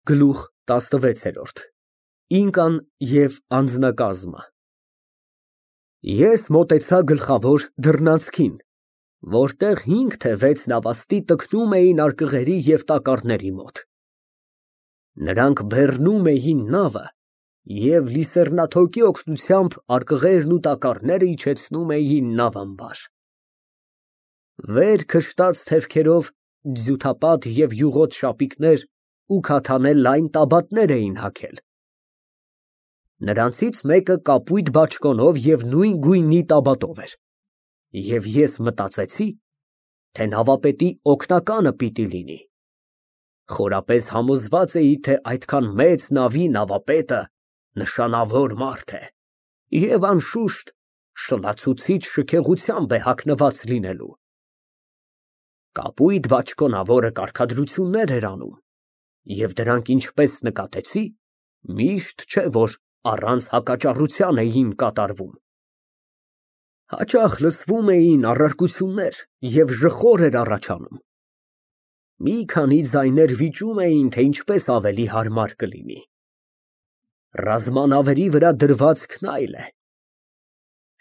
Գլուխ 16 Ինկան և անձնակազմը Ես մոտեցա գլխավոր դռնանցքին, որտեղ 5 թե 6 նավաստի տքնում էին արկղերի և տակառների մոտ. նրանք բեռնում էին նավը և լիսեռնաթոկի օգնությամբ արկղերն ու տակառները իջեցնում էին նավամբար. վեր քշտած թևքերով ձյութապատ և յուղոտ շապիկներ ու քաթանե լայն տաբատներ էին հագել. նրանցից մեկը կապույտ բաճկոնով և նույն գույնի տաբատով էր, և ես մտածեցի, թե նավապետի օգնականը պիտի լինի. խորապես համոզված էի, թե այդքան մեծ նավի նավապետը նշանավոր մարդ է և անշուշտ շլացուցիչ շքեղությամբ է հագնված լինելու։ Կապույտ բաճկոնավորը կարգադրություններ էր անում, և դրանք, ինչպես նկատեցի, միշտ չէ, որ առանց հակաճառության էին կատարվում. հաճախ լսվում էին առարկություններ և ժխոր էր առաջանում. մի քանի ձայներ վիճում էին, թե ինչպես ավելի հարմար կլինի. ռազմանավերի վրա դրվածքն այլ է.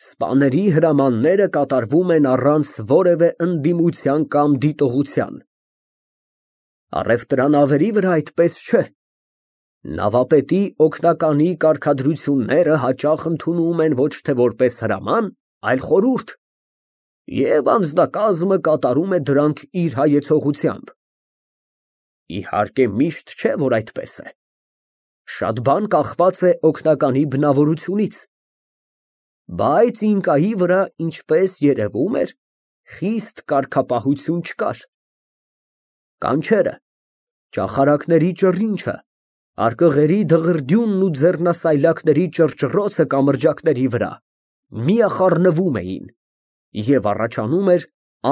սպաների հրամանները կատարվում են առանց որևէ ընդդիմության կամ դիտողության. առևտրանավերի վրա այդպես չէ. նավապետի օգնականի կարգադրությունները հաճախ ընդունում են ոչ թե որպես հրաման, այլ խորհուրդ, և անձնակազմը կատարում է դրանք իր հայեցողությամբ։ Իհարկե, միշտ չէ, որ այդպես է. շատ բան կախված է օգնականի բնավորությունից, բայց Ինկայի վրա, ինչպես երևում էր, խիստ կարգապահություն չկար. կանչերը, ճախարակների ճռինչը, արկղերի դղրդյունն ու ձեռնասայլակների ճռճռոցը կամրջակների վրա միախառնվում էին, և առաջանում էր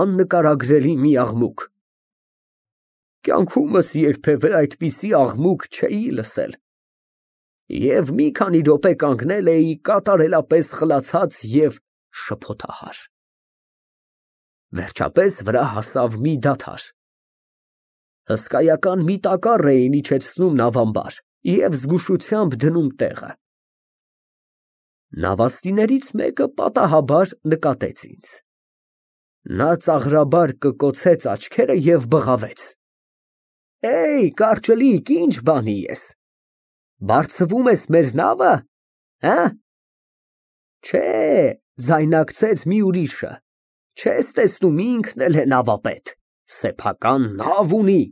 աննկարագրելի մի աղմուկ։ Կյանքումս երբևէ այդպիսի աղմուկ չէի լսել և մի քանի րոպե կանգնել էի կատարելապես խլացած և շփոթահար։ Վերջապես վրա հասավ մի դադար. հսկայական մի տակառ էին իջեցնում նավամբար և զգուշությամբ դնում տեղը։ Նավաստիներից մեկը պատահաբար նկատեց ինձ. նա ծաղրաբար կկոցեց աչքերը և բղավեց. կարճլիկ, ի՞նչ բանի ես, բարձվում ես մեր նավը, հը։ Չէ, ձայնարկեց մի ուրիշը, չես տեսնում, ինքն էլ է նավապետ, սեփական նավ ունի։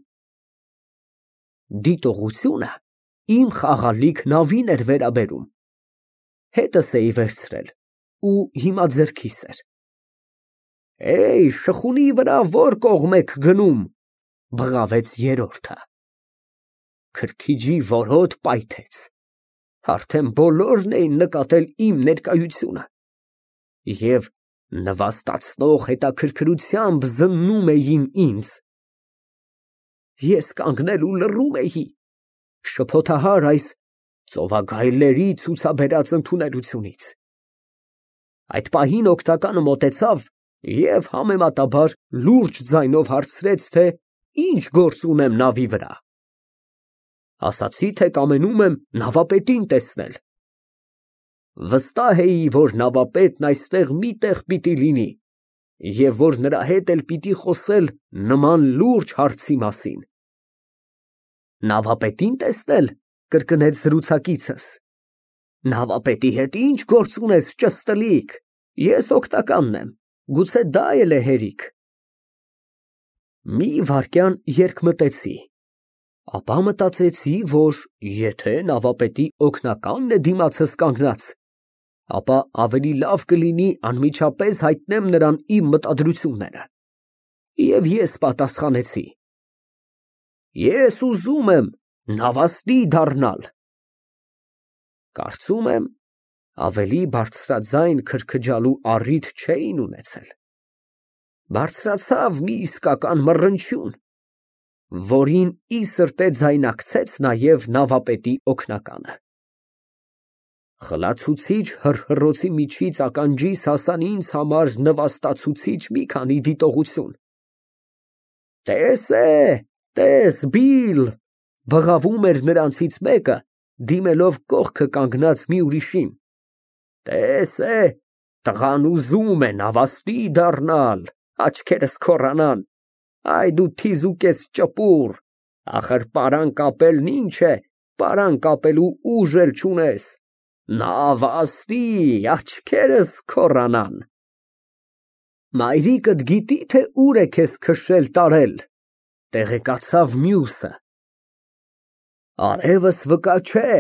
Դիտողությունը իմ խաղալիք նավին էր վերաբերում, հետս էի վերցրել ու հիմա ձեռքիս էր։ Շխունի վրա ո՞ր կողմ եք գնում, բղավեց երրորդը։ Քրքիջի որոտ պայթեց, արդեն բոլորն էին նկատել իմ ներկայությունը և նվաստացնող հետաքրքրությամբ զննում էին ինձ։ Ես կանգնել ու լռում էի, շփոթահար այս ծովագայլների ցուցաբերած ընդունելությունից։ Այդ պահին օգնականը մոտեցավ և համեմատաբար լուրջ ձայնով հարցրեց, թե ինչ գործ ունեմ նավի վրա։ Ասացի, թե կամենում եմ նավապետին տեսնել։ Վստահ էի, որ նավապետն այստեղ մի տեղ պիտի լինի և որ նրա հետ էլ պիտի խոսել նման լուրջ հարցի մասին։ Նավապետի՞ն տեսնել, կրկնեց զրուցակիցս։ Նավապետի հետ ի՞նչ գործ ունես, ճստլիկ, ես օգնականն եմ, գուցե դա էլ է հերիք։ Մի վայրկյան երկմտեցի, ապա մտածեցի, որ եթե նավապետի օգնականն է դիմացս կանգնած, ապա ավելի լավ կլինի անմիջապես հայտնեմ նրան իմ մտադրությունները, և ես պատասխանեցի. Ես ուզում եմ նավաստի դառնալ։ Կարծում եմ, ավելի բարձրաձայն քրքջալու առիթ չէին ունեցել։ Բարձրացավ մի իսկական մռնչյուն, որին ի սրտե ձայնակցեց նաև նավապետի օգնականը։ Խլացուցիչ հռհռոցի միջից ականջիս հասան ինձ համար նվաստացուցիչ մի քանի դիտողություն. Տես, Բիլ, բղավում էր նրանցից մեկը, դիմելով կողքը կանգնած մի ուրիշին. «Տես է, տղան ուզում է նավաստի դառնալ, աչքերս քոռանան, այ դու թիզուկ ես ճպուր, ախր պարան կապելն ինչ է, պարան կապելու ուժ էլ չունես, նավաստի, աչքերս քոռանան»։ Մայրիկդ գիտի, թե ուր է քեզ քշել տարել, տեղեկացավ մյուսը։ Արևս վկա չէ,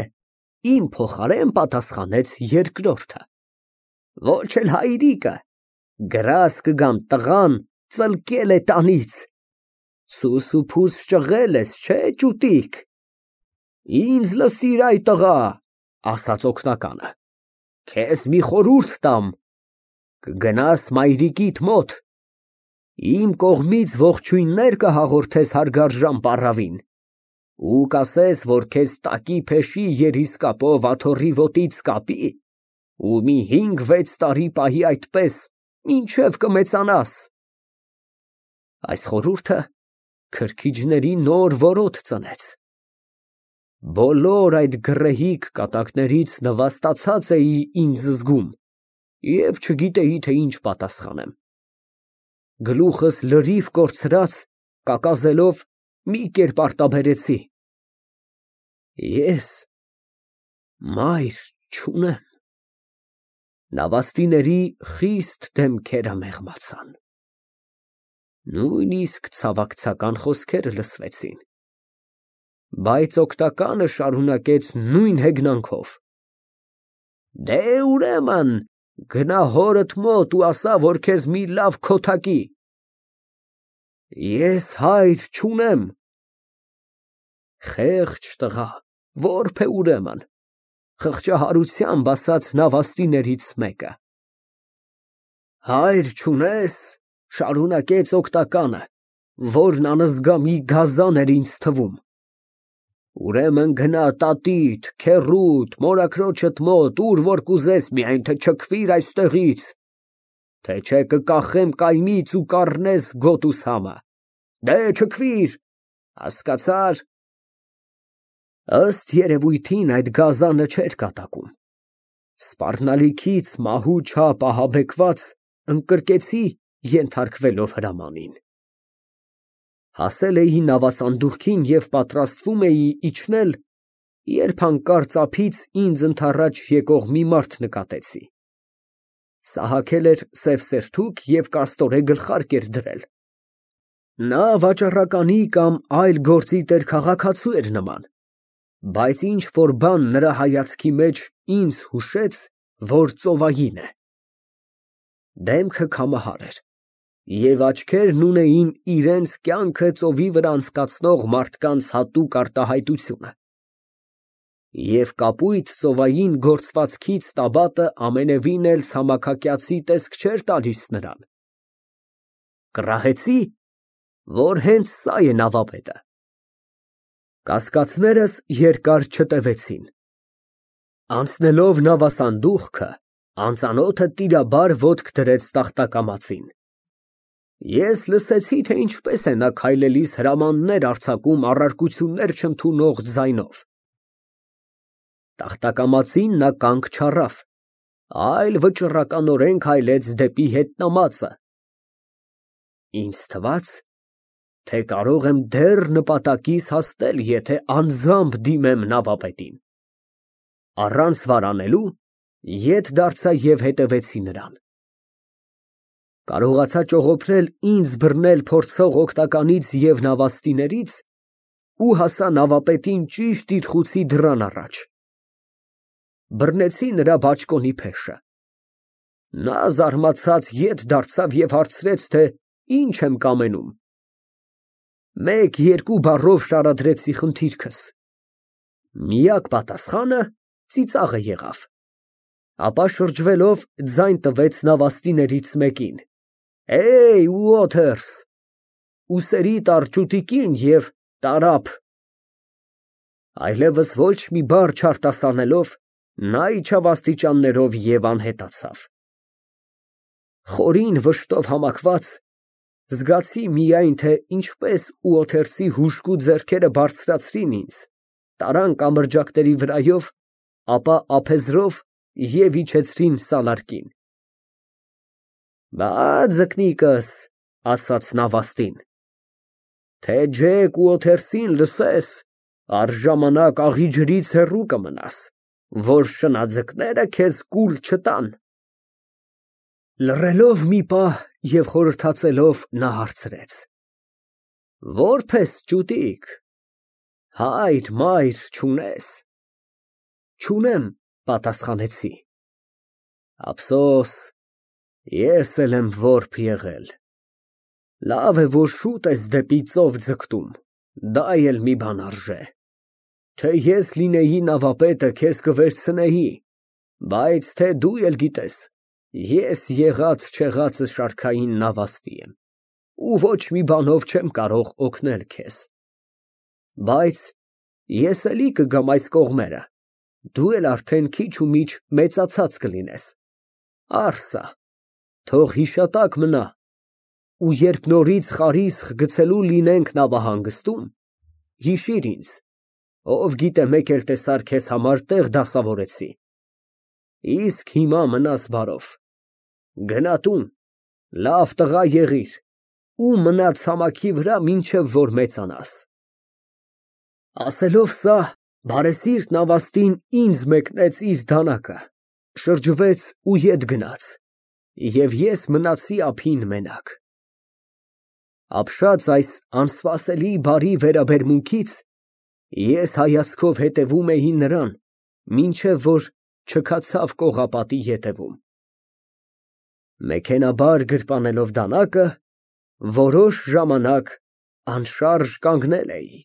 իմ փոխարեն պատասխանեց երկրորդը։ Ոչ էլ հայրիկը, գրաս կգամ տղան ծլկել է տանից, սուս ու փուս ճղել ես, չէ ճուտիկ։ Ինձ լսիր այ տղա, ասաց օգնականը, քեզ մի խորհուրդ տամ, կգնաս մայրիկիդ մոտ, իմ կողմից ողջույններ կհաղորդես հարգարժան պառավին ու կասես, որ քեզ տակի փեշի երիսկապով աթոռի ոտից կապի ու մի 5-6 տարի պահի այդպես, մինչև կմեծանաս։ Այս խորհուրդը քրքիջների նոր որոտ ծնեց։ Բոլոր այդ գռեհիկ կատակներից նվաստացած էի ինձ զգում և չգիտեի, թե ինչ պատասխանեմ։ Գլուխս լրիվ կորցրած, կակազելով մի կերպ արտաբերեցի. Ես մայր չունեմ։ Նավաստիների խիստ դեմքերը մեղմացան։ Նույնիսկ ցավակցական խոսքեր լսվեցին։ Բայց օգնականը շարունակեց նույն հեգնանքով. Դե ուրեմն գնա հորդ մոտ ու ասա, որ քեզ մի լավ քոթակի։ Ես հայր չունեմ։ Խեղճ տղա, որբ է ուրեմն, խղճահարությամբ ասաց նավաստիներից մեկը։ Հայր չունես, շարունակեց օգնականը, որն անզգամի գազան էր ինձ թվում։ Ուրեմն գնա տատիդ, քեռուդ, մորաքրոջդ մոտ, ուր որ կուզես, միայն թե չքվիր այստեղից, թե չէ կկախեմ կայմից ու կառնես գոտուս համը, դե չքվիր, հասկացա՞ր։ Ըստ երևույթին այդ գազանը չէր կատակում։ Սպառնալիքից մահու չափ ահաբեկված ընկրկեցի ենթարկվելով հրամանին։ Հասել էի նավասանդուղքին և պատրաստվում էի իջնել, երբ հանկարծ ափից ինձ ընդառաջ եկող մի մարդ նկատեցի։ Սահաքել էր սև սերթուկ և կաստորե գլխարկ էր դրել։ Նա վաճառականի կամ այլ գործի տեր քաղաքացու էր նման, բայց ինչ-որ բան նրա հայացքի մեջ ինձ հուշեց, որ ծովային է։ Դեմքը քամահար էր, և աչքերն ունեին իրենց կյանքը ծովի վրա անցկացնող մարդկանց հատուկ արտահայտությունը։ Եվ կապույտ ծովային գործվածքից տաբատը ամենևին էլ ցամաքակյացի տեսք չէր տալիս նրան։ Կռահեցի, որ հենց սա է նավապետը։ Կասկածներս երկար չտևեցին։ Անցնելով նավասանդուղքը, անծանոթը տիրաբար ոտք դրեց տախտակամածին։ Ես լսեցի, թե ինչպես է նա քայլելիս հրամաններ արձակում առարկություններ չընդունող ձայնով։ Տախտակամածին նա կանգ չառավ, այլ վճռականորեն քայլեց դեպի հետնամածը։ Ինձ թվաց, թե կարող եմ դեռ նպատակիս հասնել, եթե անձամբ դիմեմ նավապետին։ Առանց վարանելու ետ դարձա և հետևեցի նրան։ Կարողացա ճողոփրել ինձ բռնել փորձող օգնականից և նավաստիներից ու հասա նավապետին ճիշտ իր խուցի դռան առաջ։ Բռնեցի նրա բաճկոնի փեշը։ Նա զարմացած ետ դարձավ և հարցրեց, թե ինչ եմ կամենում։ Մեկ-երկու բառով շարադրեցի խնդիրքս։ Միակ պատասխանը ծիծաղը եղավ։ Ապա շրջվելով ձայն տվեց նավաստիներից մեկին. Ուոթերս, ուսերիդ առ ճուտիկին և տարափ։ Այլևս ոչ մի բառ չարտասանելով, նա իջավ աստիճաններով և անհետացավ։ Խորին վշտով համակված, Զգացի միայն, թե ինչպես ուոթերսի հուժկու ձեռքերը բարձրացրին ինձ, տարան կամրջակների վրայով, ապա ափեզրով և իջեցրին սալարկին։ «Բա, ձկնիկս, ֊ ասաց նավաստին, ֊ թե ջեք ուոթերսին լսես, առժամանակ աղի ջրից հեռու կմնաս, որ շնաձկները քեզ կուլ չտան»։ Լռելով մի պահ և խորհրդածելով, նա հարցրեց. Որբ ես ճուտիկ, հայր, մայր չունե՞ս։ Չունեմ, պատասխանեցի։ Ափսոս, ես էլ եմ որբ եղել։ Լավ է, որ շուտ ես դեպի ծով ձգտում, դա էլ մի բան արժե։ Թե ես լինեի նավապետը, քեզ կվերցնեի, բայց թե դու էլ գիտես, ես եղած֊չեղածը շարքային նավաստի եմ, ու ոչ մի բանով չեմ կարող օգնել քեզ։ Բայց ես էլի կգամ այս կողմերը, դու էլ արդեն քիչ ու միչ մեծացած կլինես, առ սա, թող հիշատակ մնա, ու երբ նորից խարիսխ գցելու լինենք նավահանգստում, հիշիր ինձ, ով գիտե մեկ էլ տեսար քեզ համար տեղ դասավորեցի։ Իսկ հիմա մնաս բարով, գնա տուն, լավ տղա եղիր ու մնա ցամաքի վրա, մինչև որ մեծանաս։ Ասելով սա, բարեսիրտ նավաստին ինձ մեկնեց իր դանակը, շրջվեց ու ետ գնաց, և ես մնացի ափին մենակ։ Ապշած այս անսպասելի բարի վերաբերմունքից, ես հայացքով հետևում էի նրան, մինչև որ չքացավ կողապատի ետևում։ Մեքենայաբար գրպանելով դանակը, որոշ ժամանակ անշարժ կանգնել էի։